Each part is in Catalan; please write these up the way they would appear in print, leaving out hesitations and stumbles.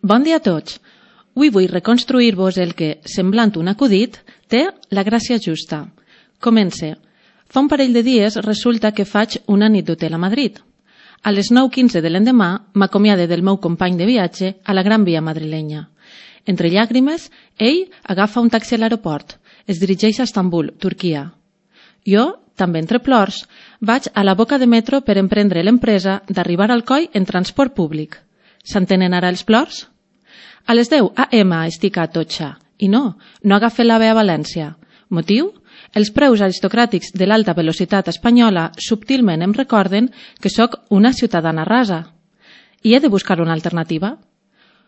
Bon dia a tots. Avui vull reconstruir-vos el que, semblant un acudit, té la gràcia justa. Comence. Fa un parell de dies resulta que faig una nit d'hotel a Madrid. A les 9:15 de l'endemà m'acomiade del meu company de viatge a la Gran Via madrilenya. Entre llàgrimes, ell agafa un taxi a l'aeroport, es dirigeix a Estambul, Turquia. Jo, també entre plors, vaig a la boca de metro per emprendre l'empresa d'arribar al coll en transport públic. S'entenen ara els plors? A les 10 a.m. estic a Atocha i no agafe l'AVE a València. Motiu? Els preus aristocràtics de l'alta velocitat espanyola subtilment em recorden que sóc una ciutadana rasa. I he de buscar una alternativa?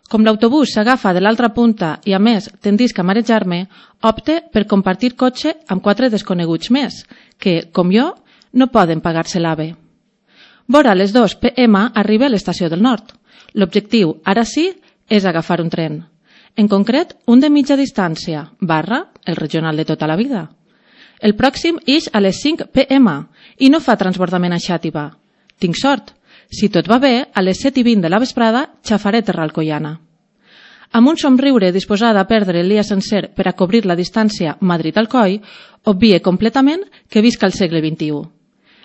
Com l'autobús s'agafa de l'altra punta i, a més, tendisc a marejar-me, opte per compartir cotxe amb 4 desconeguts més, que, com jo, no poden pagar-se l'AVE. Vora les 2 p.m. arribe a l'estació del Nord. L'objectiu, ara sí, és agafar un tren. En concret, un de mitja distància, el regional de tota la vida. El pròxim ix a les 5 p.m. i no fa transbordament a Xàtiva. Tinc sort. Si tot va bé, a les 7:20 de la vesprada xafaré terra alcoiana. Amb un somriure disposada a perdre el dia sencer per a cobrir la distància Madrid-Alcoi, obvie completament que visc al segle XXI.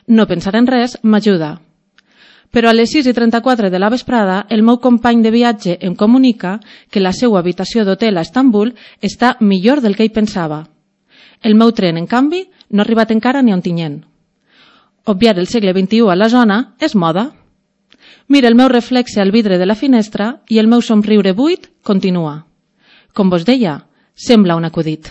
No pensar en res m'ajuda. Però a les 6:34 de la vesprada, el meu company de viatge em comunica que la seva habitació d'hotel a Estambul està millor del que ell pensava. El meu tren, en canvi, no ha arribat encara ni a Ontinyent. Obviar el segle XXI a la zona és moda. Mira el meu reflexe al vidre de la finestra i el meu somriure buit continua. Com vos deia, sembla un acudit.